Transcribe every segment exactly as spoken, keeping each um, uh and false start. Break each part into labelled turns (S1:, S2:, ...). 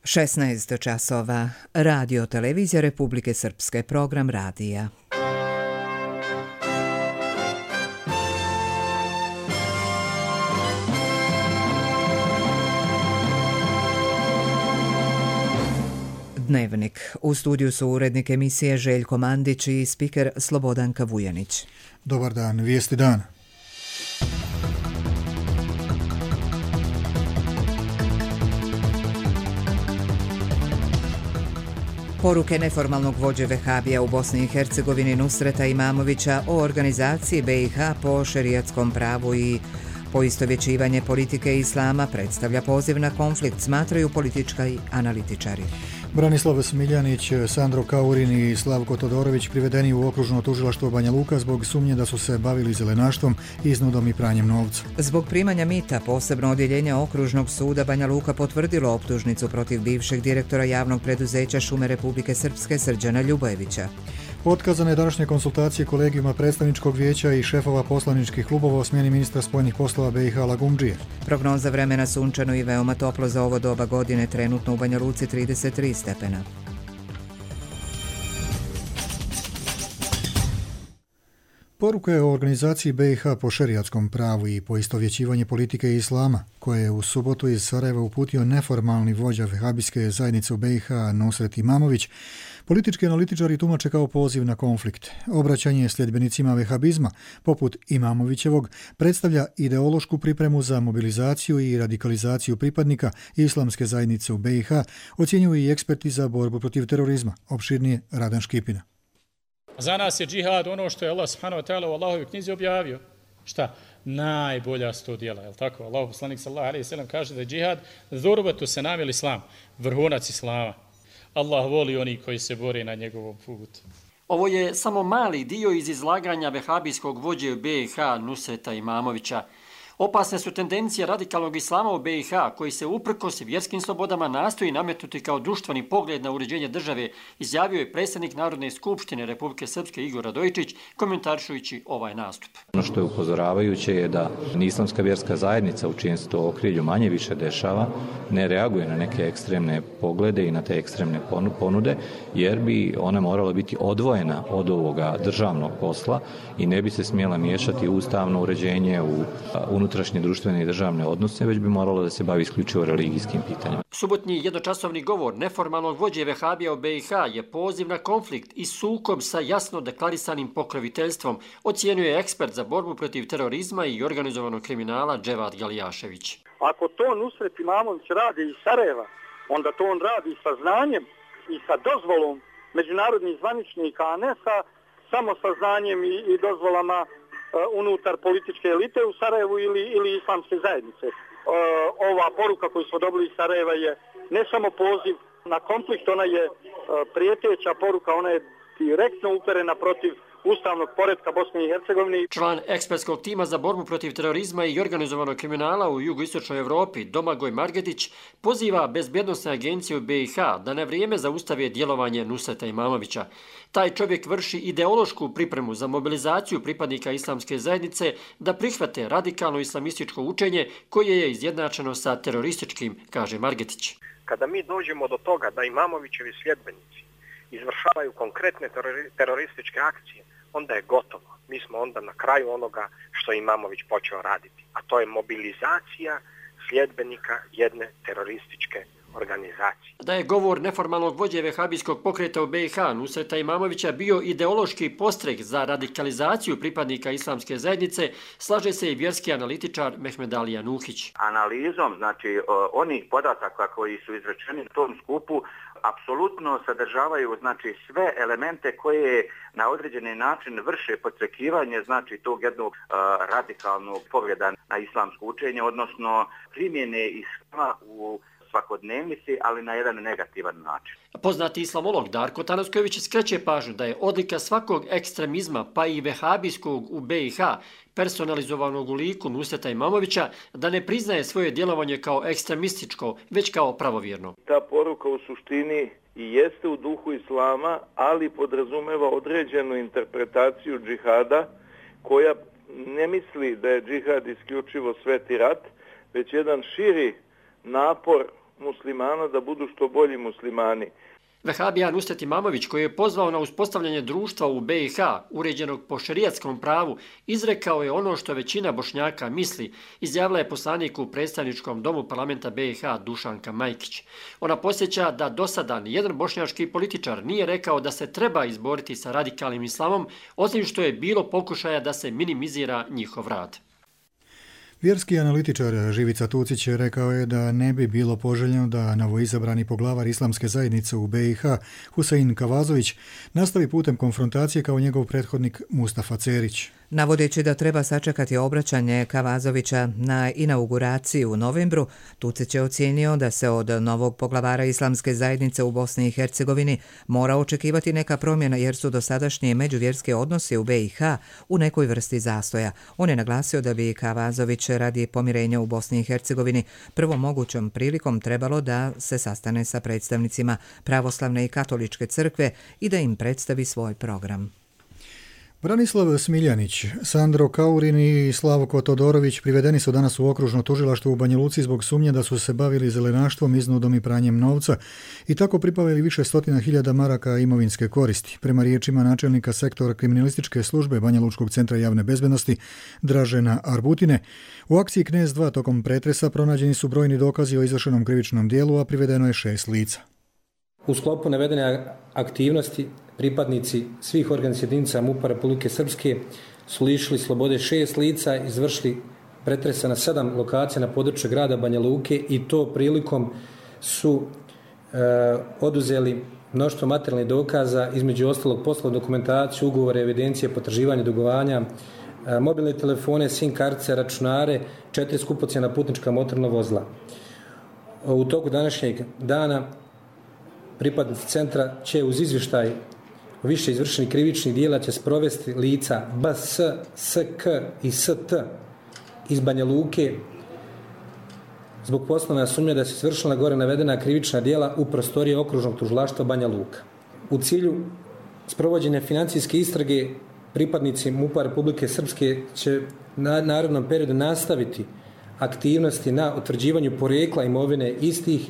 S1: šesnaest časova. Radio Televizija Republike Srpske. Program radija. Dnevnik. U studiju su urednik emisije Željko Mandić i spiker Slobodanka Vujanić.
S2: Dobar dan, vijesti dana.
S1: Poruke neformalnog vođe Vehabija u Bosni i Hercegovini Nusreta Imamovića o organizaciji B i H po šerijatskom pravu i poistovjećivanje politike islama predstavlja poziv na konflikt, smatraju politički analitičari.
S2: Branislav Smiljanić, Sandro Kaurin i Slavko Todorović privedeni u okružno tužilaštvo Banja Luka zbog sumnje da su se bavili zelenaštvom, iznudom i pranjem novca.
S1: Zbog primanja mita posebno odjeljenje okružnog suda Banja Luka potvrdilo optužnicu protiv bivšeg direktora javnog preduzeća Šume Republike Srpske Srđana Ljubojevića.
S2: Otkazane današnje konsultacije kolegijuma predstavničkog vijeća i šefova poslaničkih klubova o smjeni ministra spoljnih poslova B i H Lagumdžije.
S1: Prognoza vremena sunčano i veoma toplo za ovo doba godine, trenutno u Banja Luci trideset tri stepena.
S2: Poruka je o organizaciji B i H po šerijatskom pravu i poistovjećivanje politike islama, koje je u subotu iz Sarajeva uputio neformalni vođa vehabijske zajednice u B i H Nusret Imamović, politički analitičari tumače kao poziv na konflikt. Obraćanje sljedbenicima vehabizma, poput Imamovićevog, predstavlja ideološku pripremu za mobilizaciju i radikalizaciju pripadnika islamske zajednice u B i H, ocjenjuju i eksperti za borbu protiv terorizma, opširnije Radan Škipina.
S3: Za nas je džihad ono što je Allah subhanahu wa ta'ala u Allahovoj knjizi objavio. Šta? Najbolja sto djela, je li tako? Allah poslanik sallallahu alejhi ve sellem kaže da je džihad zurbatu senamil islam, vrhunac islama. Allah voli oni koji se bore na njegovom putu.
S4: Ovo je samo mali dio iz izlaganja vehabijskog vođe B i H Nusreta Imamovića. Opasne su tendencije radikalnog islama u B i H, koji se uprkos vjerskim slobodama nastoji nametnuti kao društveni pogled na uređenje države, izjavio je predsjednik Narodne skupštine Republike Srpske Igor Radojičić, komentarišujući ovaj nastup.
S5: Ono što je upozoravajuće je da islamska vjerska zajednica, u čijem se to okrilju manje više dešava, ne reaguje na neke ekstremne poglede i na te ekstremne ponude, jer bi ona morala biti odvojena od ovoga državnog posla i ne bi se smjela miješati u ustavno uređenje, u unutrašnje društvene i državne odnose, već bi moralo da se bavi isključivo religijskim pitanjima.
S4: Subotnji jednočasovni govor neformalnog vođe Vehabija u B i H je poziv na konflikt i sukob sa jasno deklarisanim pokroviteljstvom, ocijenio ekspert za borbu protiv terorizma i organizovanog kriminala Dževad Galijašević.
S6: Ako to Nusret Imamović radi iz Sarajeva, onda to on radi sa znanjem i sa dozvolom međunarodnih zvaničnika, a ne sa samo sa znanjem i, i dozvolama unutar političke elite u Sarajevu ili, ili islamske zajednice. E, ova poruka koju smo dobili iz Sarajeva je ne samo poziv na konflikt, ona je e, prijeteća poruka, ona je direktno uperena protiv ustavnog poretka Bosne i Hercegovine.
S4: Član ekspertskog tima za borbu protiv terorizma i organizovanog kriminala u jugoistočnoj Evropi, Domagoj Margetić, poziva bezbjednosne agencije u B i H da na vrijeme zaustave djelovanje Nusreta Imamovića. Taj čovjek vrši ideološku pripremu za mobilizaciju pripadnika islamske zajednice da prihvate radikalno islamističko učenje koje je izjednačeno sa terorističkim, kaže Margetić.
S7: Kada mi dođemo do toga da Imamovićevi sljedbenici izvršavaju konkretne terorističke akcije, onda je gotovo. Mi smo onda na kraju onoga što je Imamović počeo raditi, a to je mobilizacija sljedbenika jedne terorističke organizacije.
S4: Da je govor neformalnog vođe vehabijskog pokreta u B i H Nusreta Imamovića bio ideološki postreh za radikalizaciju pripadnika islamske zajednice, slaže se i vjerski analitičar Mehmed Alija Nuhić.
S8: Analizom, znači onih podataka koji su izrečeni na tom skupu, apsolutno sadržavaju znači sve elemente koje na određeni način vrše podstrekivanje znači tog jednog uh, radikalnog pogleda na islamsko učenje, odnosno primjene islama u svakodnevnici, ali na jedan negativan način.
S4: Poznati islamolog Darko Tanasković skreće pažnju da je odlika svakog ekstremizma, pa i vehabijskog u B i H, personalizovanog u liku Nusreta Imamovića, da ne priznaje svoje djelovanje kao ekstremističko, već kao pravovjerno.
S9: Ta poruka u suštini i jeste u duhu islama, ali podrazumeva određenu interpretaciju džihada, koja ne misli da je džihad isključivo sveti rat, već jedan širi napor muslimana da budu što bolji muslimani.
S4: Vehabija Nusret Imamović, koji je pozvao na uspostavljanje društva u B i H, uređenog po šerijatskom pravu, izrekao je ono što većina Bošnjaka misli, izjavila je poslanik u predstavničkom domu parlamenta B i H Dušanka Majkić. Ona posjeća da do sada nijedan bošnjački političar nije rekao da se treba izboriti sa radikalnim islamom, osim što je bilo pokušaja da se minimizira njihov rad.
S2: Vjerski analitičar Živica Tucić rekao je da ne bi bilo poželjno da novoizabrani poglavar islamske zajednice u B i H, Husein Kavazović, nastavi putem konfrontacije kao njegov prethodnik Mustafa Cerić.
S1: Navodeći da treba sačekati obraćanje Kavazovića na inauguraciju u novembru, Tucić je ocijenio da se od novog poglavara islamske zajednice u Bosni i Hercegovini mora očekivati neka promjena jer su dosadašnji međuvjerski odnosi u B i H u nekoj vrsti zastoja. On je naglasio da bi Kavazović radi pomirenja u Bosni i Hercegovini prvom mogućom prilikom trebalo da se sastane sa predstavnicima pravoslavne i katoličke crkve i da im predstavi svoj program.
S2: Branislav Smiljanić, Sandro Kaurin i Slavko Todorović privedeni su danas u okružno tužilaštvo u Banja Luci zbog sumnje da su se bavili zelenaštvom, iznudom i pranjem novca i tako pripavili više stotina hiljada maraka imovinske koristi. Prema riječima načelnika sektora kriminalističke službe Banja Lučkog centra javne bezbednosti Dražena Arbutine, u akciji Knez dva tokom pretresa pronađeni su brojni dokazi o izvršenom krivičnom dijelu, a privedeno je šest lica.
S10: U sklopu navedene aktivnosti pripadnici svih organizacija jedinica MUP-a Republike Srpske su lišili slobode šest lica, izvršili pretresa na sedam lokacija na području grada Banja Luke i to prilikom su e, oduzeli mnoštvo materijalnih dokaza, između ostalog poslovnu dokumentaciju, ugovore, evidencije, potraživanje, dugovanja, e, mobilne telefone, SIM kartice, računare, četiri skupocjena putnička motorna vozila. U toku današnjeg dana pripadnici centra će uz izvještaj o više izvršenih krivičnih dijela će sprovesti lica B S, S K i S T iz Banja Luke zbog poslovne sumnje da se izvršila gore navedena krivična dijela u prostoriji okružnog tužilaštva Banja Luka. U cilju sprovođenja financijske istrage pripadnici MUP-a Republike Srpske će na narednom periodu nastaviti aktivnosti na utvrđivanju porijekla imovine istih,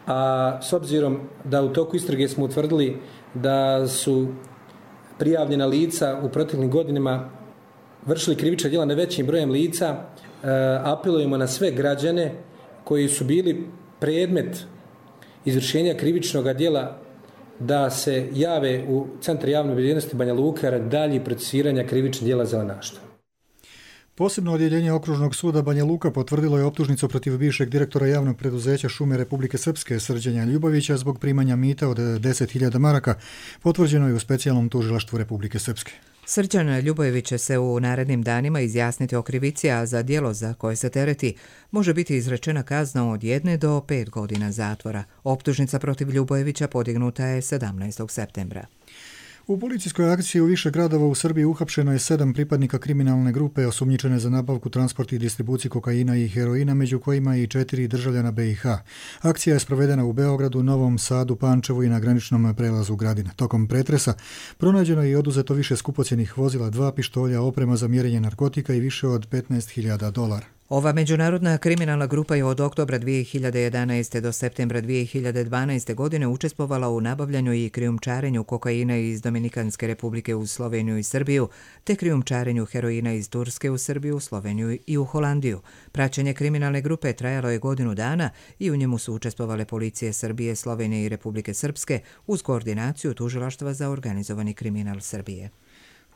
S10: a s obzirom da u toku istrage smo utvrdili da su prijavljena lica u proteklim godinama vršili krivična djela na većim brojem lica, apelujemo na sve građane koji su bili predmet izvršenja krivičnog djela da se jave u Centar javne bezbednosti Banja Luka radi daljih procesuiranja krivičnih djela zelenaštva.
S2: Posebno odjeljenje Okružnog suda Banja Luka potvrdilo je optužnicu protiv bivšeg direktora javnog preduzeća Šume Republike Srpske Srđana Ljubovića zbog primanja mita od deset hiljada maraka, potvrđeno je u specijalnom tužilaštvu Republike Srpske.
S1: Srđan Ljubojević će se u narednim danima izjasniti o krivici, a za djelo za koje se tereti može biti izrečena kazna od jedne do pet godina zatvora. Optužnica protiv Ljubojevića podignuta je sedamnaestog septembra.
S2: U policijskoj akciji u više gradova u Srbiji uhapšeno je sedam pripadnika kriminalne grupe osumnjičene za nabavku, transport i distribuciju kokaina i heroina, među kojima i četiri državljana B i H. Akcija je sprovedena u Beogradu, Novom Sadu, Pančevu i na graničnom prelazu Gradina. Tokom pretresa pronađeno je i oduzeto više skupocjenih vozila, dva pištolja, oprema za mjerenje narkotika i više od petnaest hiljada dolara.
S1: Ova međunarodna kriminalna grupa je od oktobra dvije hiljade jedanaeste. do septembra dvije hiljade dvanaeste. godine učestvovala u nabavljanju i krijumčarenju kokaina iz Dominikanske republike u Sloveniju i Srbiju, te krijumčarenju heroina iz Turske u Srbiju, Sloveniju i u Holandiju. Praćenje kriminalne grupe trajalo je godinu dana i u njemu su učestvovale policije Srbije, Slovenije i Republike Srpske uz koordinaciju Tužilaštva za organizovani kriminal Srbije.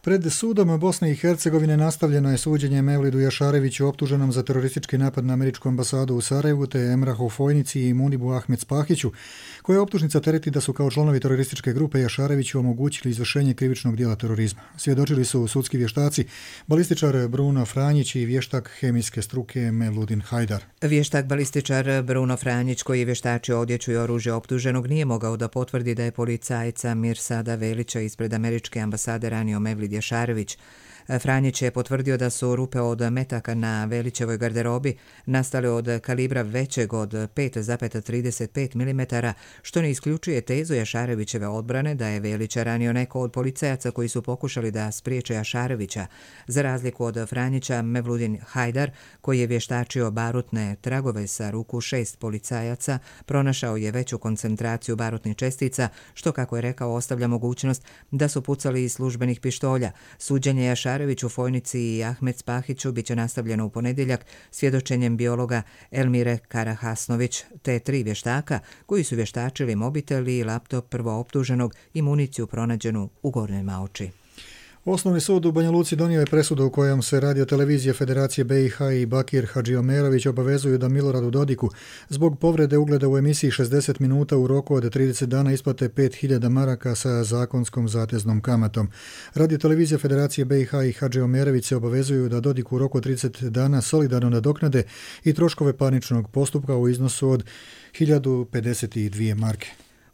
S2: Pred sudom Bosne i Hercegovine nastavljeno je suđenje Mevlidu Jašareviću optuženom za teroristički napad na američku ambasadu u Sarajevu te Emrahu Fojnici i Munibu Ahmed Spahiću, koje optužnica tereti da su kao članovi terorističke grupe Jašareviću omogućili izvršenje krivičnog dijela terorizma. Svjedočili su sudski vještaci, balističar Bruno Franjić i vještak hemijske struke Mevludin Hajdar.
S1: Vještak balističar Bruno Franjić, koji je vještačio odjeću i oružje optuženog, nije mogao da potvrdi da je policajca Mirsada Velića ispred američke ambasade ranio Mevlid Jašarević. Franjić je potvrdio da su rupe od metaka na Velićevoj garderobi nastale od kalibra većeg od pet zarez trideset pet milimetara, što ne isključuje tezu Jašarevićeve odbrane da je Velića ranio neko od policajaca koji su pokušali da spriječe Jašarevića. Za razliku od Franjića, Mevludin Hajdar, koji je vještačio barutne tragove sa ruku šest policajaca, pronašao je veću koncentraciju barutnih čestica, što, kako je rekao, ostavlja mogućnost da su pucali iz službenih pištolja. Suđenje Jašareviću, Fojnici i Ahmed Spahiću biće nastavljeno u ponedjeljak svjedočenjem biologa Elmire Karahasnović te tri vještaka koji su vještačili mobitel i laptop prvooptuženog i municiju pronađenu u Gornjoj Maoči.
S2: Osnovni sud u Banja Luci donio je presudu u kojom se radiotelevizije Federacije B i H i Bakir Hadžiomerović obavezuju da Miloradu Dodiku zbog povrede ugleda u emisiji šezdeset minuta u roku od trideset dana isplate pet hiljada maraka sa zakonskom zateznom kamatom. Radiotelevizija Federacije B i H i Hadžiomerović se obavezuju da Dodiku u roku od trideset dana solidarno nadoknade i troškove parničnog postupka u iznosu od hiljadu pedeset dvije marke.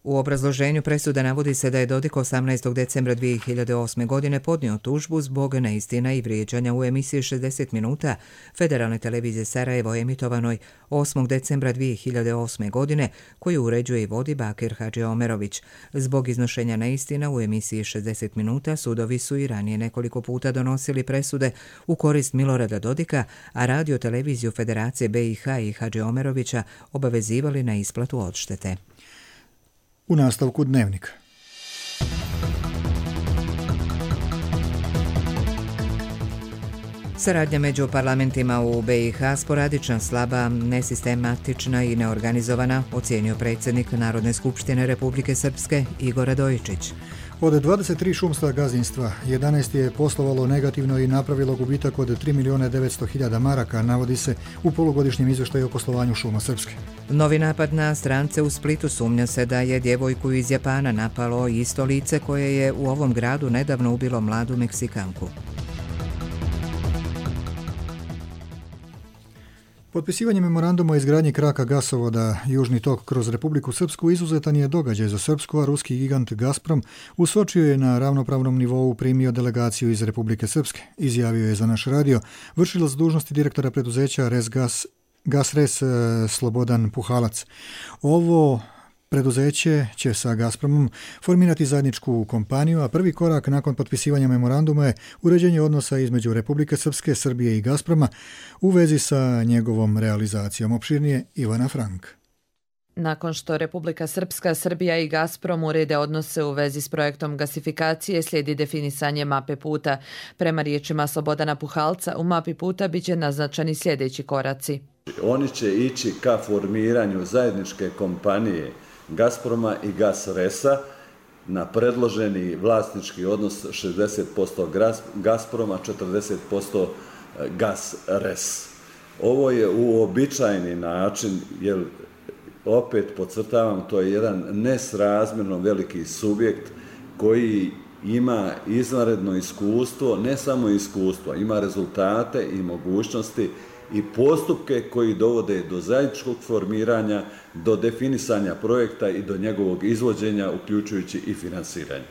S1: U obrazloženju presude navodi se da je Dodik osamnaestog decembra dvije hiljade osme. godine podnio tužbu zbog neistina i vrijeđanja u emisiji šezdeset minuta Federalne televizije Sarajevo emitovanoj osmog decembra dvije hiljade osme. godine, koju uređuje i vodi Bakir Hadžiomerović. Zbog iznošenja neistina u emisiji šezdeset minuta sudovi su i ranije nekoliko puta donosili presude u korist Milorada Dodika, a radio televiziju Federacije B i H i Hadžiomerovića obavezivali na isplatu odštete.
S2: U nastavku Dnevnika.
S1: Saradnja među parlamentima u B i H sporadična, slaba, nesistematična i neorganizovana, ocijenio predsjednik Narodne skupštine Republike Srpske Igor Radojičić.
S2: Od dvadeset tri šumska gazdinstva, jedanaest je poslovalo negativno i napravilo gubitak od tri milijuna devetsto hiljada maraka, navodi se u polugodišnjem izvještaju o poslovanju šuma Srpske.
S1: Novi napad na strance u Splitu, sumnja se da je djevojku iz Japana napalo isto lice koje je u ovom gradu nedavno ubilo mladu Meksikanku.
S2: Potpisivanje memoranduma o izgradnji kraka gasovoda Južni tok kroz Republiku Srpsku izuzetan je događaj za Srpsku, a ruski gigant Gazprom u Sočiju je na ravnopravnom nivou primio delegaciju iz Republike Srpske. Izjavio je za naš radio vršilac dužnosti direktora preduzeća Resgas Gasres Slobodan Puhalac. Ovo preduzeće će sa Gazpromom formirati zajedničku kompaniju, a prvi korak nakon potpisivanja memoranduma je uređenje odnosa između Republike Srpske, Srbije i Gazproma u vezi sa njegovom realizacijom. Opširnije Ivana Frank.
S11: Nakon što Republika Srpska, Srbija i Gazprom urede odnose u vezi s projektom gasifikacije, slijedi definisanje mape puta. Prema riječima Slobodana Puhalca, u mapi puta biće naznačeni sljedeći koraci.
S12: Oni će ići ka formiranju zajedničke kompanije Gazproma i Gasresa na predloženi vlasnički odnos šezdeset posto Gazproma, četrdeset posto Gasres. Ovo je uobičajeni način, jer opet podcrtavam, to je jedan nesrazmjerno veliki subjekt koji ima izvanredno iskustvo, ne samo iskustvo, ima rezultate i mogućnosti i postupke koji dovode do zajedničkog formiranja, do definisanja projekta i do njegovog izvođenja, uključujući i finansiranje.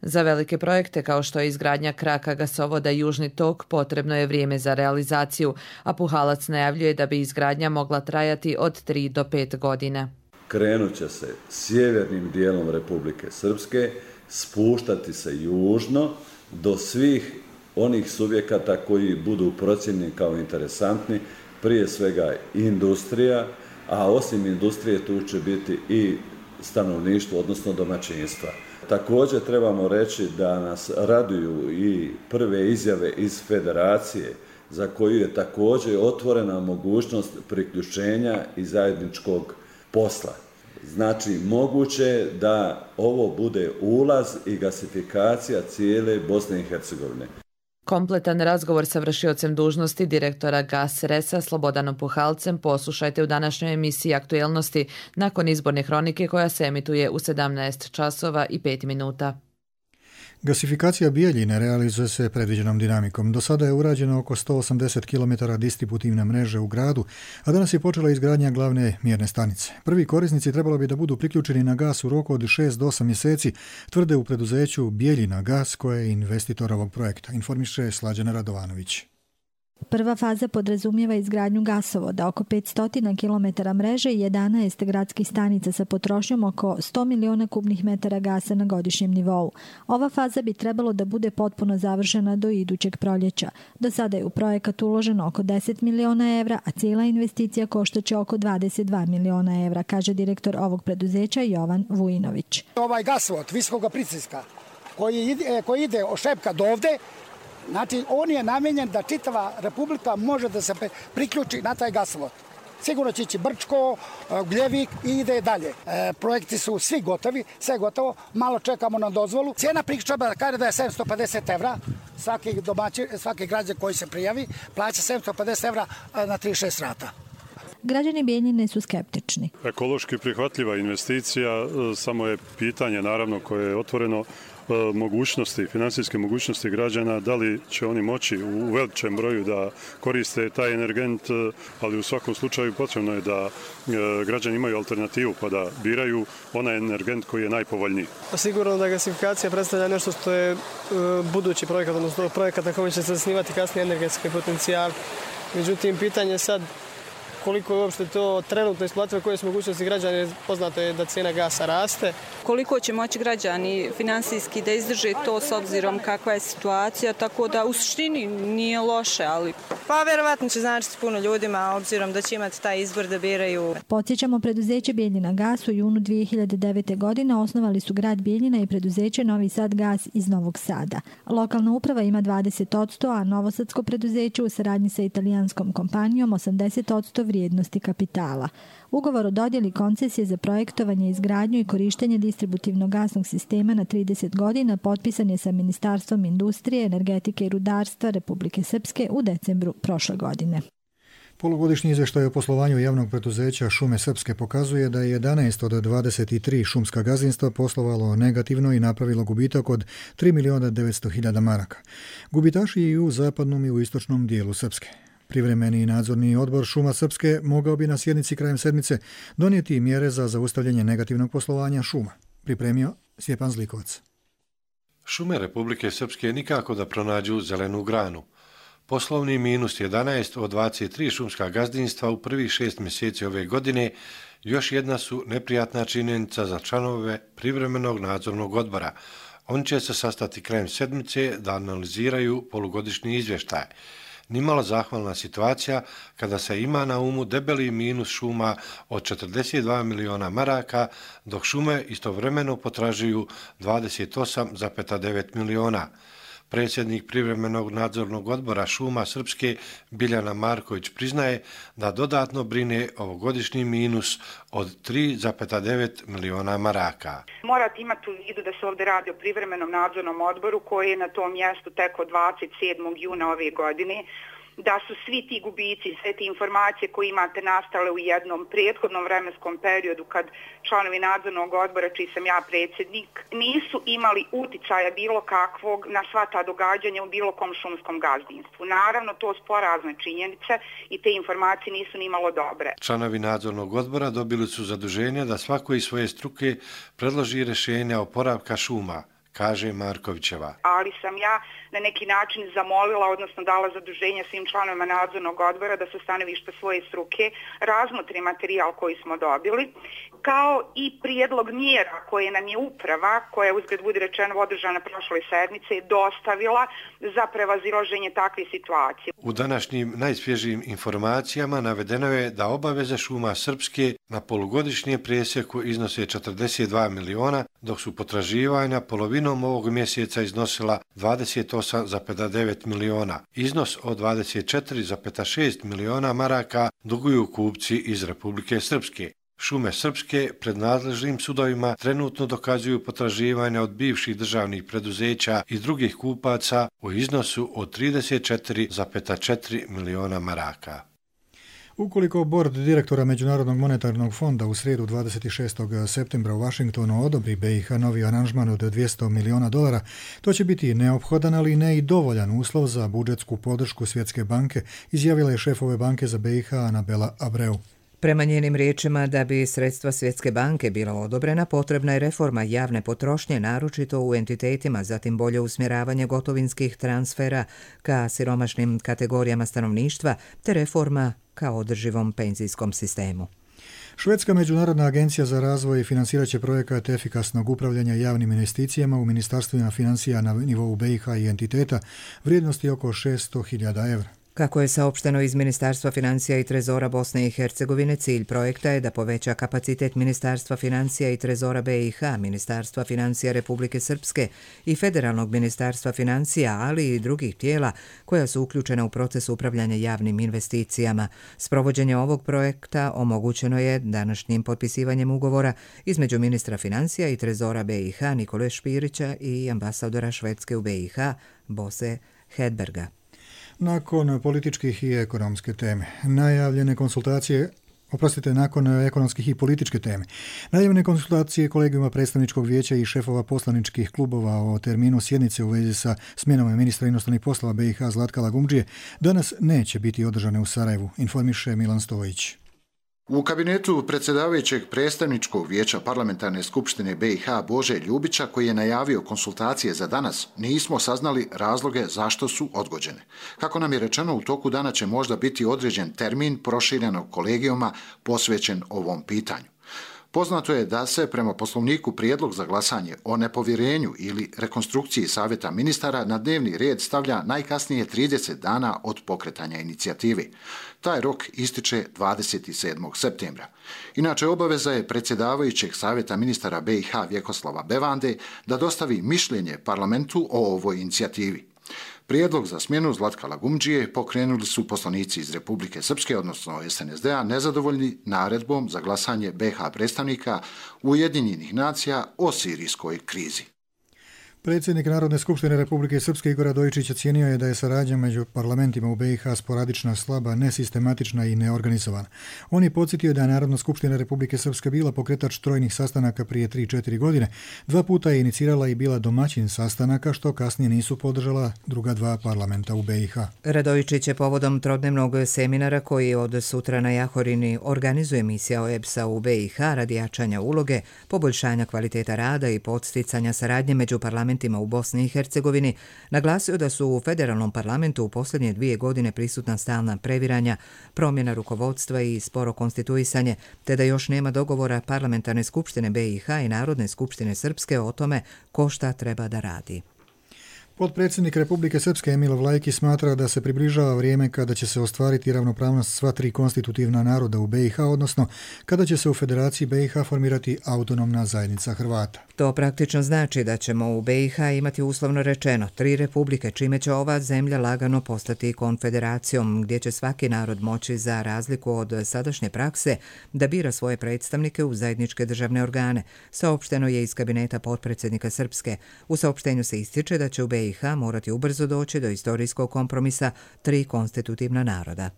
S11: Za velike projekte kao što je izgradnja kraka gasovoda Južni tok potrebno je vrijeme za realizaciju, a Puhalac najavljuje da bi izgradnja mogla trajati od tri do pet godina.
S12: Krenut će se sjevernim dijelom Republike Srpske, spuštati se južno do svih onih subjekata koji budu procijenjeni kao interesantni, prije svega industrija, a osim industrije tu će biti i stanovništvo, odnosno domaćinstva. Također trebamo reći da nas raduju i prve izjave iz Federacije, za koju je također otvorena mogućnost priključenja i zajedničkog posla. Znači, moguće je da ovo bude ulaz i gasifikacija cijele Bosne i Hercegovine.
S11: Kompletan razgovor sa vršiocem dužnosti direktora Gasresa Slobodanom Puhalcem poslušajte u današnjoj emisiji Aktuelnosti nakon izborne hronike koja se emituje u sedamnaest časova i pet minuta.
S2: Gasifikacija Bijeljine realizuje se predviđenom dinamikom. Do sada je urađeno oko sto osamdeset kilometara distributivne mreže u gradu, a danas je počela izgradnja glavne mjerne stanice. Prvi korisnici trebalo bi da budu priključeni na gas u roku od šest do osam mjeseci, tvrde u preduzeću Bijeljina gas, koje je investitor ovog projekta, informiše Slađana Radovanović.
S13: Prva faza podrazumijeva izgradnju gasovoda, oko petsto kilometara mreže i jedanaest gradskih stanica sa potrošnjom oko sto miliona kubnih metara gasa na godišnjem nivou. Ova faza bi trebalo da bude potpuno završena do idućeg proljeća. Do sada je u projekat uloženo oko deset miliona evra, a cijela investicija koštaće oko dvadeset dva miliona evra, kaže direktor ovog preduzeća Jovan Vujinović.
S14: Ovaj gasovod visokog pritiska koji ide, koji ide od Šepka do ovde, znači, on je namenjen da čitava Republika može da se priključi na taj gasovod. Sigurno će ići Brčko, Gljevik i ide dalje. E, projekti su svi gotovi, sve gotovo, malo čekamo na dozvolu. Cijena priključka kaže da je sedamsto pedeset evra, svaki, domaći, svaki građan koji se prijavi plaća sedamsto pedeset evra na trideset šest rata.
S13: Građani Bijeljine su skeptični.
S15: Ekološki prihvatljiva investicija, samo je pitanje naravno koje je otvoreno, mogućnosti, finansijske mogućnosti građana, da li će oni moći u veličem broju da koriste taj energent, ali u svakom slučaju potrebno je da građani imaju alternativu pa da biraju onaj energent koji je najpovoljniji.
S16: Sigurno da gasifikacija predstavlja nešto što je budući projekat, odnosno projekat na kojem će se zasnivati kasnije energetski potencijal. Međutim, pitanje je sad koliko je uopšte to trenutno isplativo, koje su mogućnosti građana, poznato je da cijena gasa raste.
S17: Koliko će moći građani finansijski da izdrže to s obzirom kakva je situacija, tako da u suštini nije loše, ali...
S18: Pa verovatno će značiti puno ljudima, obzirom da će imati taj izbor da biraju.
S13: Podsjećamo, preduzeće Bijeljina gas u junu dvije hiljade devete. godine osnovali su grad Bijeljina i preduzeće Novi Sad gas iz Novog Sada. Lokalna uprava ima dvadeset posto, a novosadsko preduzeće u saradnji sa italijanskom kompanijom osamdeset posto vrijednosti kapitala. Ugovor o dodjeli koncesije za projektovanje, izgradnju i korištenje distributivnog gasnog sistema na trideset godina potpisan je sa Ministarstvom industrije, energetike i rudarstva Republike Srpske u decembru prošle godine.
S2: Polugodišnji izvještaj o poslovanju javnog preduzeća Šume Srpske pokazuje da je jedanaest od dvadeset tri šumska gazdinstva poslovalo negativno i napravilo gubitak od tri miliona devetsto hiljada maraka. Gubitaši i u zapadnom i u istočnom dijelu Srpske. Privremeni nadzorni odbor Šuma Srpske mogao bi na sjednici krajem sedmice donijeti mjere za zaustavljanje negativnog poslovanja šuma. Pripremio Stjepan Zlikovac.
S19: Šume Republike Srpske nikako da pronađu zelenu granu. Poslovni minus jedanaest od dvadeset tri šumska gazdinstva u prvih šest mjeseci ove godine još jedna su neprijatna činjenica za članove privremenog nadzornog odbora. Oni će se sastati krajem sedmice da analiziraju polugodišnji izvještaj. Nimalo zahvalna situacija kada se ima na umu debeli minus šuma od četrdeset dva miliona maraka, dok šume istovremeno potražuju dvadeset osam zarez devet miliona. Predsjednik privremenog nadzornog odbora Šuma Srpske Biljana Marković priznaje da dodatno brine ovogodišnji minus od tri zarez devet miliona maraka.
S20: Morate imati u vidu da se ovdje radi o privremenom nadzornom odboru koji je na tom mjestu tek od dvadeset sedmog juna ove godine, da su svi ti gubici, sve te informacije koje imate nastale u jednom prethodnom vremenskom periodu kad članovi nadzornog odbora, čiji sam ja predsjednik, nisu imali uticaja bilo kakvog na sva ta događanja u bilo kom šumskom gazdinstvu. Naravno, to su porazne činjenice i te informacije nisu ni malo dobre.
S19: Članovi nadzornog odbora dobili su zaduženje da svako iz svoje struke predloži rješenja oporavka šuma, kaže Markovićeva.
S20: Ali sam ja na neki način zamolila, odnosno dala zaduženje svim članovima nadzornog odbora da sa stanovišta svoje struke razmotri materijal koji smo dobili, kao i prijedlog mjera koje nam je uprava, koja je uzgled budi rečeno održana prošle sedmice, dostavila za prevazilaženje takve situacije.
S19: U današnjim najsvježijim informacijama navedeno je da obaveze Šuma Srpske na polugodišnje presjeku iznose četrdeset dva miliona, dok su potraživanja polovinom ovog mjeseca iznosila dvadeset osam zarez devet miliona. Iznos od dvadeset četiri zarez šest miliona maraka duguju kupci iz Republike Srpske. Šume Srpske pred nadležnim sudovima trenutno dokazuju potraživanja od bivših državnih preduzeća i drugih kupaca u iznosu od trideset četiri zarez četiri miliona maraka.
S2: Ukoliko bord direktora Međunarodnog monetarnog fonda u srijedu dvadeset šestog septembra u Vašingtonu odobri B i H novi aranžman od dvjesto miliona dolara, to će biti neophodan, ali ne i dovoljan uslov za budžetsku podršku Svjetske banke, izjavila je šef ove banke za B i H Anabela Abreu.
S1: Prema njenim riječima, da bi sredstva Svjetske banke bila odobrena, potrebna je reforma javne potrošnje, naročito u entitetima, zatim bolje usmjeravanje gotovinskih transfera ka siromašnim kategorijama stanovništva, te reforma ka održivom penzijskom sistemu.
S2: Švedska međunarodna agencija za razvoj financirat će projekat efikasnog upravljanja javnim investicijama u ministarstvima financija na nivou B i H i entiteta vrijednosti oko šesto hiljada evra.
S1: Kako je saopšteno iz Ministarstva financija i trezora Bosne i Hercegovine, cilj projekta je da poveća kapacitet Ministarstva financija i trezora B i H, Ministarstva financija Republike Srpske i Federalnog ministarstva financija, ali i drugih tijela koja su uključena u proces upravljanja javnim investicijama. Sprovođenje ovog projekta omogućeno je današnjim potpisivanjem ugovora između ministra financija i trezora B i H Nikole Špirića i ambasadora Švedske u B i H Bose Hedberga.
S2: Nakon političkih i ekonomske teme, najavljene konsultacije, oprostite, nakon ekonomskih i političke teme, najavljene konsultacije kolegijuma predstavničkog vijeća i šefova poslaničkih klubova o terminu sjednice u vezi sa smjenom ministra inostranih poslova B i H Zlatka Lagumdžije danas neće biti održane u Sarajevu, informiše Milan Stojić.
S21: U kabinetu predsjedavajućeg predstavničkog vijeća parlamentarne skupštine B i H Bože Ljubića, koji je najavio konsultacije za danas, nismo saznali razloge zašto su odgođene. Kako nam je rečeno, u toku dana će možda biti određen termin proširenog kolegijuma posvećen ovom pitanju. Poznato je da se prema poslovniku prijedlog za glasanje o nepovjerenju ili rekonstrukciji savjeta ministara na dnevni red stavlja najkasnije trideset dana od pokretanja inicijative. Taj rok ističe dvadeset sedmog septembra. Inače, obaveza je predsjedavajućeg savjeta ministara B i H Vjekoslava Bevande da dostavi mišljenje parlamentu o ovoj inicijativi. Prijedlog za smjenu Zlatka Lagumdžije pokrenuli su poslanici iz Republike Srpske, odnosno S N S D-a, nezadovoljni naredbom za glasanje B i H predstavnika Ujedinjenih nacija o sirijskoj krizi.
S2: Predsjednik Narodne skupštine Republike Srpske Igor Radojičić ocijenio je da je saradnja među parlamentima u B i H sporadična, slaba, nesistematična i neorganizovana. On je podsjetio da je Narodna skupština Republike Srpske bila pokretač trojnih sastanaka prije tri četiri godine. Dva puta je inicirala i bila domaćin sastanaka, što kasnije nisu podržala druga dva parlamenta u B i H.
S1: Radojičić je povodom trodnevnog seminara koji od sutra na Jahorini organizuje misija O E B S-a u B i H radi jačanja uloge, poboljšanja kvaliteta rada i podsticanja saradnje među parlamentima u Bosni i Hercegovini, naglasio da su u federalnom parlamentu u posljednje dvije godine prisutna stalna previranja, promjena rukovodstva i sporo konstituisanje, te da još nema dogovora parlamentarne skupštine B i H i Narodne skupštine Srpske o tome ko šta treba da radi.
S2: Potpredsjednik Republike Srpske Emil Vlajki smatra da se približava vrijeme kada će se ostvariti ravnopravnost sva tri konstitutivna naroda u B i H, odnosno kada će se u Federaciji B i H formirati autonomna zajednica Hrvata.
S1: To praktično znači da ćemo u B i H imati uslovno rečeno tri republike, čime će ova zemlja lagano postati konfederacijom, gdje će svaki narod moći, za razliku od sadašnje prakse, da bira svoje predstavnike u zajedničke državne organe, saopšteno je iz kabineta potpredsjednika Srpske. U saopštenju se ističe da će u B i H morati ubrzo doći do istorijskog kompromisa tri konstitutivna naroda.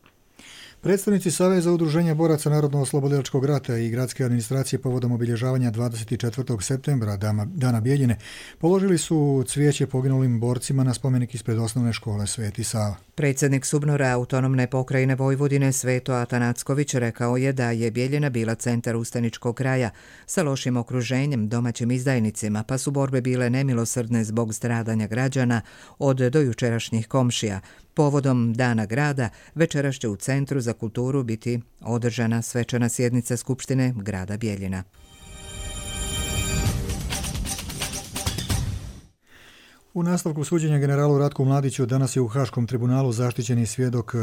S2: Predstavnici Saveza udruženja boraca Narodno-oslobodilačkog rata i gradske administracije povodom obilježavanja dvadeset četvrtog septembra, Dana Bijeljine, položili su cvijeće poginulim borcima na spomenik ispred osnovne škole Sveti Sava.
S1: Predsjednik Subnora autonomne pokrajine Vojvodine Sveto Atanacković rekao je da je Bijeljina bila centar ustaničkog kraja sa lošim okruženjem, domaćim izdajnicima, pa su borbe bile nemilosrdne zbog stradanja građana od dojučerašnjih komšija. Povodom Dana grada večeras će u Centru za kulturu biti održana svečana sjednica Skupštine grada Bijeljina.
S2: U nastavku suđenja generalu Ratku Mladiću danas je u Haškom tribunalu zaštićeni svjedok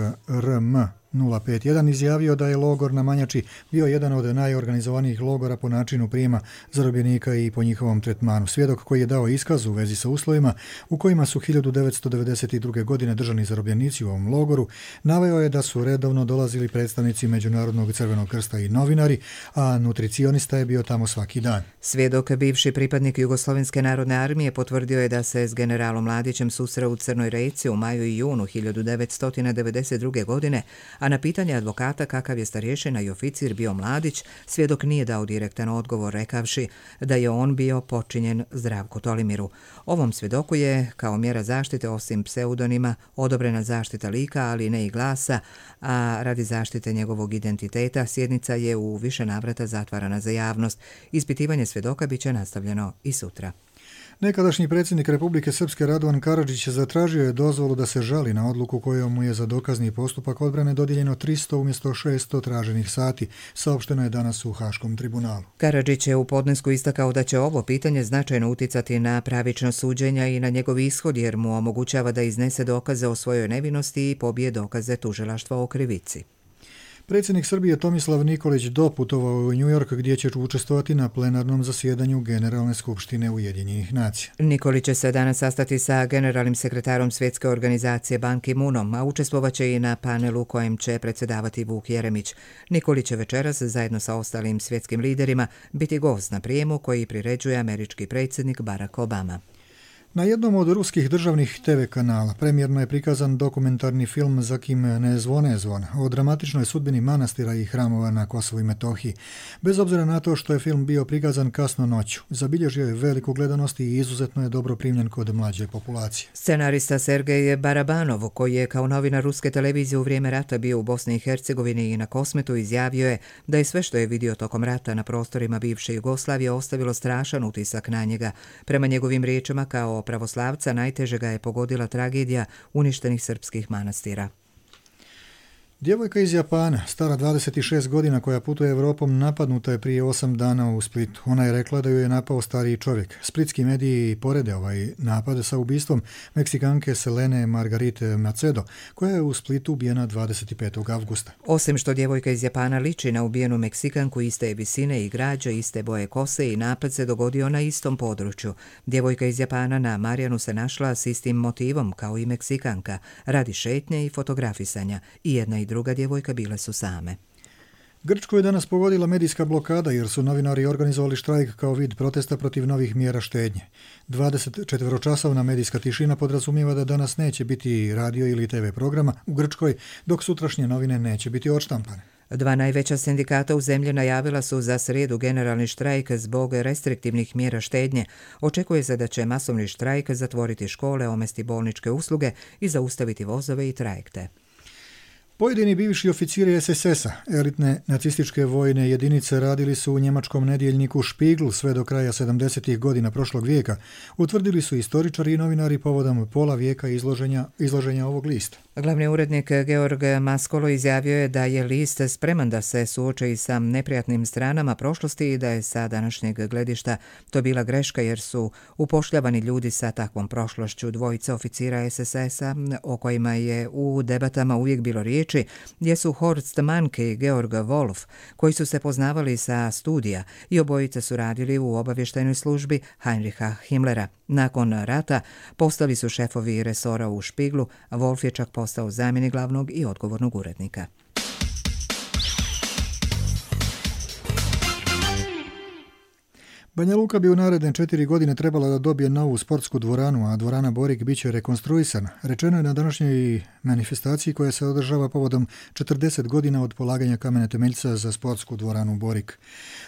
S2: R M nula pet jedan izjavio da je logor na Manjači bio jedan od najorganizovanijih logora po načinu prijema zarobljenika i po njihovom tretmanu. Svjedok koji je dao iskaz u vezi sa uslovima u kojima su hiljadu devetsto devedeset druge. godine držani zarobljenici u ovom logoru, naveo je da su redovno dolazili predstavnici Međunarodnog crvenog krsta i novinari, a nutricionista je bio tamo svaki dan.
S1: Svjedok, bivši pripadnik Jugoslovenske narodne armije, potvrdio je da se s generalom Mladićem susreo u Crnoj Reci u maju i junu hiljadu devetsto devedeset druge. godine, a na pitanje advokata kakav je starješina i oficir bio Mladić, svjedok nije dao direktan odgovor rekavši da je on bio počinjen Zdravku Tolimiru. Ovom svjedoku je, kao mjera zaštite osim pseudonima, odobrena zaštita lika, ali ne i glasa, a radi zaštite njegovog identiteta sjednica je u više navrata zatvarana za javnost. Ispitivanje svjedoka bit će nastavljeno i sutra.
S2: Nekadašnji predsjednik Republike Srpske Radovan Karadžić zatražio je dozvolu da se žali na odluku kojom mu je za dokazni postupak odbrane dodijeljeno tristo umjesto šesto traženih sati, saopšteno je danas u Haškom tribunalu.
S1: Karadžić je u podnesku istakao da će ovo pitanje značajno uticati na pravično suđenja i na njegov ishod jer mu omogućava da iznese dokaze o svojoj nevinosti i pobije dokaze tužilaštva o krivici.
S2: Predsjednik Srbije Tomislav Nikolić doputovao u New York gdje će učestvovati na plenarnom zasjedanju Generalne skupštine Ujedinjenih nacija.
S1: Nikolić će se danas sastati sa generalnim sekretarom Svjetske organizacije Ban Ki-moonom, a učestvovaće i na panelu kojem će predsjedavati Vuk Jeremić. Nikolić će večeras zajedno sa ostalim svjetskim liderima biti gost na prijemu koji priređuje američki predsjednik Barack Obama.
S2: Na jednom od ruskih državnih te ve kanala premijerno je prikazan dokumentarni film Za kim ne zvone zvon o dramatičnoj sudbini manastira i hramova na Kosovu i Metohiji. Bez obzira na to što je film bio prikazan kasno noću, zabilježio je veliku gledanost i izuzetno je dobro primljen kod mlađe populacije.
S1: Scenarista Sergej Barabanov, koji je kao novinar ruske televizije u vrijeme rata bio u Bosni i Hercegovini i na Kosmetu, izjavio je da je sve što je vidio tokom rata na prostorima bivše Jugoslavije ostavilo strašan utisak na njega. Prema njegovim riječima, kao pravoslavca najteže ga je pogodila tragedija uništenih srpskih manastira.
S2: Djevojka iz Japana, stara dvadeset šest godina koja putuje Evropom, napadnuta je prije osam dana u Splitu. Ona je rekla da ju je napao stariji čovjek. Splitski mediji porede ovaj napad sa ubistvom Meksikanke Selene Margarite Macedo, koja je u Splitu ubijena dvadeset petog avgusta.
S1: Osim što djevojka iz Japana liči na ubijenu Meksikanku iste je visine i građe, iste boje kose i napad se dogodio na istom području. Djevojka iz Japana na Marijanu se našla s istim motivom kao i Meksikanka, radi šetnje i fotografisanja, i jedna i druga djevojka bile su same.
S2: Grčku je danas pogodila medijska blokada jer su novinari organizovali štrajk kao vid protesta protiv novih mjera štednje. dvadesetčetveročasovna medijska tišina podrazumijeva da danas neće biti radio ili te ve programa u Grčkoj, dok sutrašnje novine neće biti odštampane.
S1: Dva najveća sindikata u zemlji najavila su za srijedu generalni štrajk zbog restriktivnih mjera štednje. Očekuje se da će masovni štrajk zatvoriti škole, omesti bolničke usluge i zaustaviti vozove i trajekte.
S2: Pojedini bivši oficiri es es es-a, elitne nacističke vojne jedinice, radili su u njemačkom nedjeljniku Spiegel sve do kraja sedamdesetih godina prošlog vijeka, utvrdili su istoričari i novinari povodom pola vijeka izloženja, izloženja ovog lista.
S1: Glavni urednik Georg Maskolo izjavio je da je list spreman da se suoči sa neprijatnim stranama prošlosti i da je sa današnjeg gledišta to bila greška jer su upošljavani ljudi sa takvom prošlošću. Dvojica oficira es es es-a o kojima je u debatama uvijek bilo riječi jesu Horst Manke i Georg Wolf, koji su se poznavali sa studija i obojice su radili u obavještajnoj službi Heinricha Himmlera. Nakon rata postali su šefovi resora u Špiglu, a Wolf je čak postao zamjenik glavnog i odgovornog urednika.
S2: Banja Luka bi u naredne četiri godine trebala da dobije novu sportsku dvoranu, a dvorana Borik bit će rekonstruisana. Rečeno je na današnjoj manifestaciji koja se održava povodom četrdeset godina od polaganja kamene temeljca za sportsku dvoranu Borik.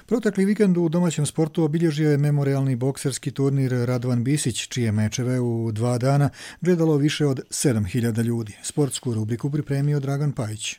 S2: Protekli vikend u domaćem sportu obilježio je memorialni bokserski turnir Radovan Bisić, čije mečeve u dva dana gledalo više od sedam hiljada ljudi. Sportsku rubriku pripremio Dragan Pajić.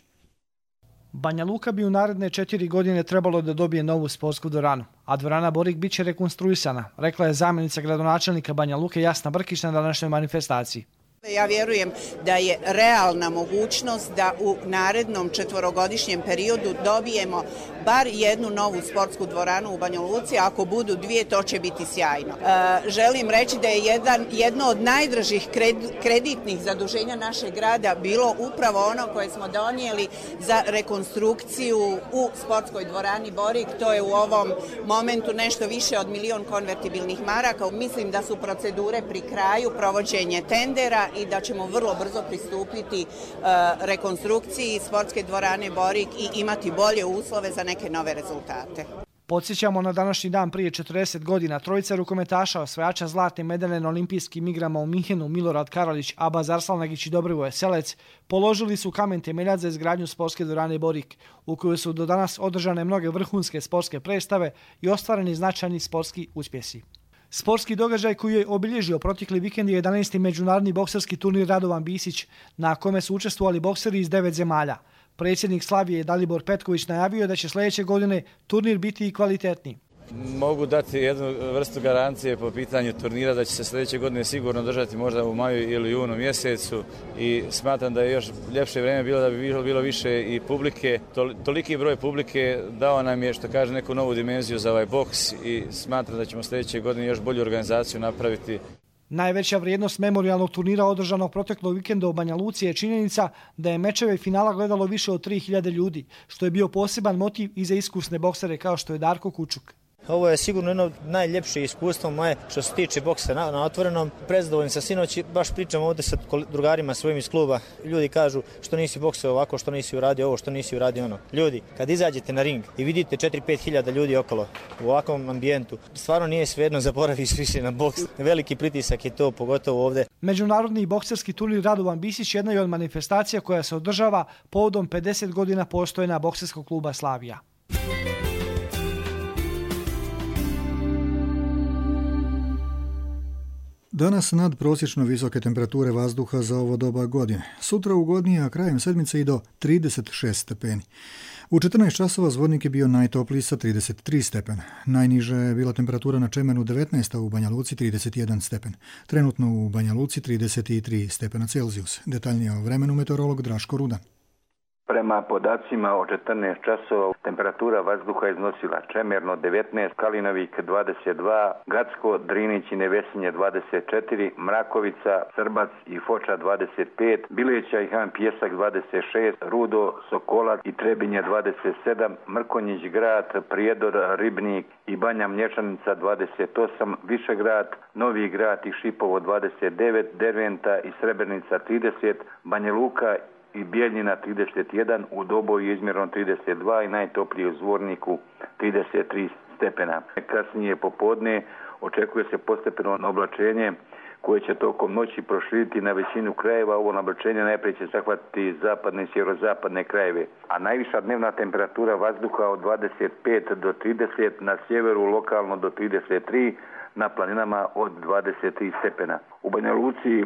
S3: Banja Luka bi u naredne četiri godine trebalo da dobije novu sportsku dvoranu, a dvorana Borik bit će rekonstruisana, rekla je zamjenica gradonačelnika Banja Luke Jasna Brkić na današnjoj manifestaciji.
S22: Ja vjerujem da je realna mogućnost da u narednom četvorogodišnjem periodu dobijemo bar jednu novu sportsku dvoranu u Banja Luci, a ako budu dvije, to će biti sjajno. E, želim reći da je jedan, jedno od najdražih kred, kreditnih zaduženja našeg grada bilo upravo ono koje smo donijeli za rekonstrukciju u sportskoj dvorani Borik. To je u ovom momentu nešto više od milion konvertibilnih maraka. Mislim da su procedure pri kraju, provođenje tendera, i da ćemo vrlo brzo pristupiti uh, rekonstrukciji sportske dvorane Borik i imati bolje uslove za neke nove rezultate.
S3: Podsjećamo na današnji dan prije četrdeset godina trojica rukometaša osvajača zlatne medalje na olimpijskim igrama u Minhenu, Milorad Karalić, Abaz Arslanagić i Dobrivoje Selec, položili su kamen temeljac za izgradnju sportske dvorane Borik, u kojoj su do danas održane mnoge vrhunske sportske predstave i ostvareni značajni sportski uspjesi. Sportski događaj koji je obilježio protekli vikend je jedanaesti međunarodni bokserski turnir Radovan Bisić, na kome su učestvovali bokseri iz devet zemalja. Predsjednik Slavije Dalibor Petković najavio da će sljedeće godine turnir biti i kvalitetniji.
S5: Mogu dati jednu vrstu garancije po pitanju turnira da će se sljedeće godine sigurno držati možda u maju ili junu mjesecu i smatram da je još ljepše vrijeme bilo da bi bilo, bilo više i publike. Toliki broj publike dao nam je, što kaže, neku novu dimenziju za ovaj boks i smatram da ćemo sljedeće godine još bolju organizaciju napraviti.
S3: Najveća vrijednost memorijalnog turnira održanog proteklog vikenda u Banja Luci je činjenica da je mečeve finala gledalo više od tri hiljade ljudi, što je bio poseban motiv i za iskusne boksere kao što je Darko Kučuk.
S6: Ovo je sigurno jedno najljepše iskustvo moje što se tiče boksa na, na otvorenom. Prezadovoljni sa sinoć, baš pričam ovdje sa drugarima svojim iz kluba. Ljudi kažu što nisi boksao ovako, što nisi uradio ovo, što nisi uradio ono. Ljudi, kad izađete na ring i vidite četiri do pet hiljada ljudi okolo u ovakvom ambijentu, stvarno nije svejedno, zaboraviš više na boks. Veliki pritisak je to, pogotovo ovdje.
S3: Međunarodni bokserski turnir Radovan Bisić jedna je od manifestacija koja se održava povodom pedeset godina postojanja bokserskog kluba Slavija.
S2: Danas nadprosječno visoke temperature vazduha za ovo doba godine. Sutra ugodnije, a krajem sedmice i do trideset šest stepeni. U četrnaest časova Zvornik je bio najtopliji sa trideset tri stepena. Najniža je bila temperatura na Čemenu devetnaest, a u Banja Luci trideset jedan stepen. Trenutno u Banja Luci trideset tri stepena Celzijus. Detaljnije o vremenu meteorolog Draško Rudan.
S23: Prema podacima od četrnaest časova temperatura vazduha iznosila Čemerno devetnaest, Kalinovik dvadeset dva, Gacko, Drinić i Nevesinje dvadeset četiri, Mrakovica, Srbac i Foča dvadeset pet, Bileća i Han Pjesak dvadeset šest, Rudo, Sokolac i Trebinje dvadeset sedam, Mrkonjić Grad, Prijedor, Ribnik i Banja Mlječanica dvadeset osam, Višegrad, Novi Grad i Šipovo dvadeset devet, Derventa i Srebrenica trideset, Banja Luka i Bijeljina trideset jedan, u Doboju izmjerno trideset dva i najtoplije u Zvorniku trideset tri stepena. Kasnije popodne očekuje se postepeno oblačenje koje će tokom noći proširiti na većinu krajeva. Ovo oblačenje najprije će zahvatiti zapadne i sjeverozapadne krajeve, a najviša dnevna temperatura vazduha od dvadeset pet do trideset, na sjeveru lokalno do trideset tri, na planinama od dvadeset tri stepena. U Banja Luci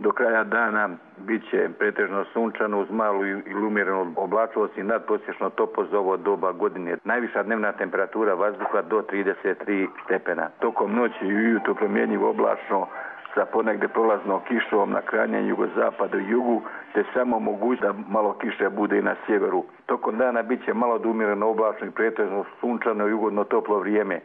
S23: do kraja dana bit će pretežno sunčano uz malu ili umjerenu oblačnost i nadprosječno toplo za ovo doba godine. Najviša dnevna temperatura vazduha do trideset tri stepena. Tokom noći i ujutro promjenjivo oblačno sa ponegde prolaznom kišom na krajnjem jugozapadu i jugu, te samo moguće da malo kiše bude i na sjeveru. Tokom dana bit će malo do umjereno oblačno i pretežno sunčano i ugodno toplo vrijeme.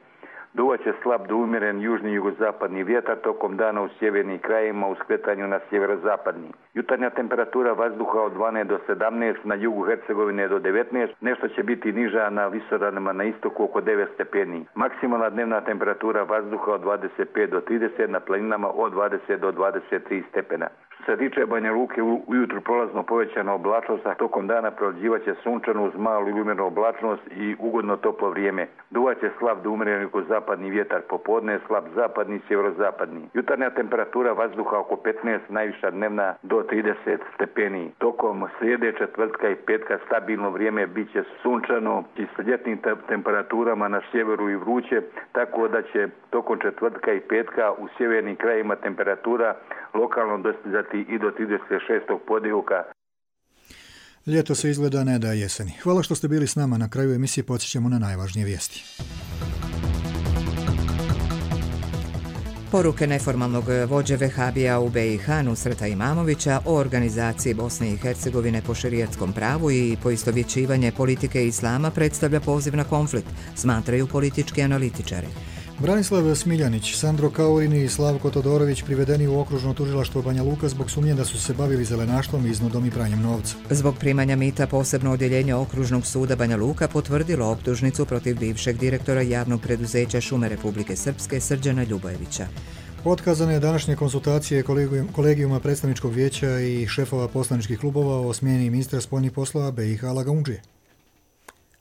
S23: Duvaće slab do umjeren južni i jugozapadni vjetar tokom dana u sjevernim krajevima u skretanju na sjeverozapadni. Jutarnja temperatura vazduha od dvanaest do sedamnaest, na jugu Hercegovine do devetnaest, nešto će biti niža na visoravnima na istoku oko devet stepeni. Maksimalna dnevna temperatura vazduha od dvadeset pet do trideset, na planinama od dvadeset do dvadeset tri stepena. Što se tiče Banja Luke, ujutru prolazno povećana oblačnost, a tokom dana prolazivaće sunčano uz malu ili umjerenu oblačnost i ugodno toplo vrijeme. Duvaće slab do umjeren jugozapadni vjetar, popodne slab zapadni i sjeverozapadni. Jutarnja temperatura vazduha oko petnaest, najviša dnevna do trideset stepeni. Tokom srijede, četvrtka i petka stabilno vrijeme biće sunčano i s ljetnim temperaturama na sjeveru i vruće, tako da će tokom četvrtka i petka u sjevernim krajima temperatura lokalno dostizati i do trideset šestog podivka.
S2: Ljeto se izgleda ne da jeseni. Hvala što ste bili s nama. Na kraju emisije podsjećamo na najvažnije vijesti.
S1: Poruke neformalnog vođe Vehabija u be i ha Nusreta Imamovića o organizaciji Bosne i Hercegovine po šerijatskom pravu i poistovjećivanje politike islama predstavlja poziv na konflikt, smatraju politički analitičari.
S2: Branislav Smiljanić, Sandro Kaurini i Slavko Todorović privedeni u okružno tužilaštvo Banja Luka zbog sumnje da su se bavili zelenaštvom, iznudom i pranjem novca.
S1: Zbog primanja mita posebno odjeljenje okružnog suda Banja Luka potvrdilo optužnicu protiv bivšeg direktora javnog preduzeća Šume Republike Srpske Srđana Ljubojevića.
S2: Otkazane je današnje konsultacije kolegijuma predstavničkog vijeća i šefova poslaničkih klubova o smjeni ministra spoljnih poslova be i ha Lagaundžije.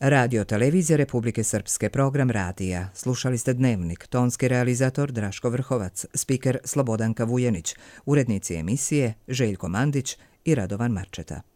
S1: Radio Televizija Republike Srpske, program radija. Slušali ste Dnevnik, tonski realizator Draško Vrhovac, spiker Slobodanka Vujenić, urednici emisije Željko Mandić i Radovan Marčeta.